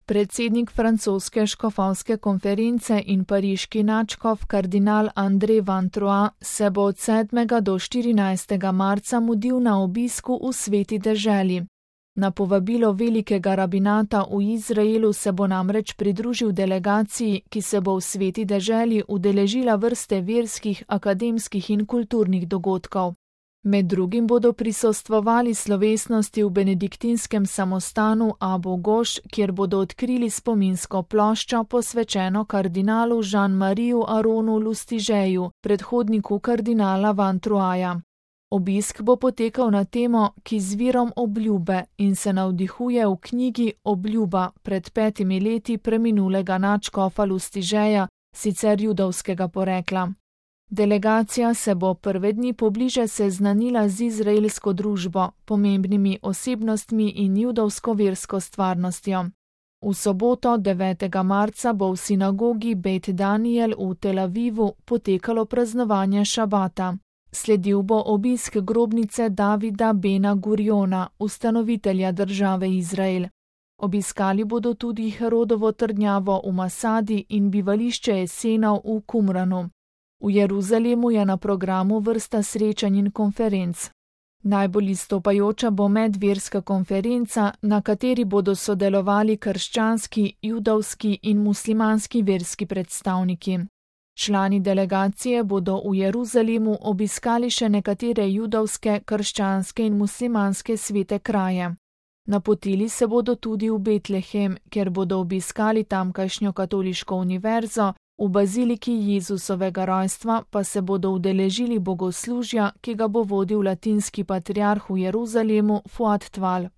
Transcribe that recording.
Predsednik francoske škofovske konference in pariški nadškof kardinal André Van Troyes se bo od 7. do 14. marca mudil na obisku v Sveti deželi. Na povabilo velikega rabinata v Izraelu se bo namreč pridružil delegaciji, ki se bo v Sveti deželi udeležila vrste verskih, akademskih in kulturnih dogodkov. Med drugim bodo prisostvovali slovesnosti v benediktinskem samostanu Abu Goš, kjer bodo odkrili spominsko ploščo posvečeno kardinalu Jean-Mariju Aronu Lustigeju, predhodniku kardinala Van Troyesa. Obisk bo potekal na temo, ki z virom obljube in se navdihuje v knjigi Obljuba pred 5 leti preminulega nadškofa Lustigeja, sicer judovskega porekla. Delegacija se bo prve dni pobliže seznanila z izraelsko družbo, pomembnimi osebnostmi in judovsko versko stvarnostjo. V soboto 9. marca bo v sinagogi Beit Daniel v Tel Avivu potekalo praznovanje šabata. Sledil bo obisk grobnice Davida Bena Guriona, ustanovitelja države Izrael. Obiskali bodo tudi Herodovo trdnjavo v Masadi in bivališče Esenov v Kumranu. V Jeruzalemu je na programu vrsta srečanj in konferenc. Najbolj izstopajoča bo medverska konferenca, na kateri bodo sodelovali krščanski, judovski in muslimanski verski predstavniki. Člani delegacije bodo v Jeruzalemu obiskali še nekatere judovske, krščanske in muslimanske svete kraje. Napotili se bodo tudi v Betlehem, kjer bodo obiskali tamkajšnjo katoliško univerzo, v baziliki Jezusovega rojstva pa se bodo udeležili bogoslužja, ki ga bo vodil latinski patriarh v Jeruzalemu Fuad Tval.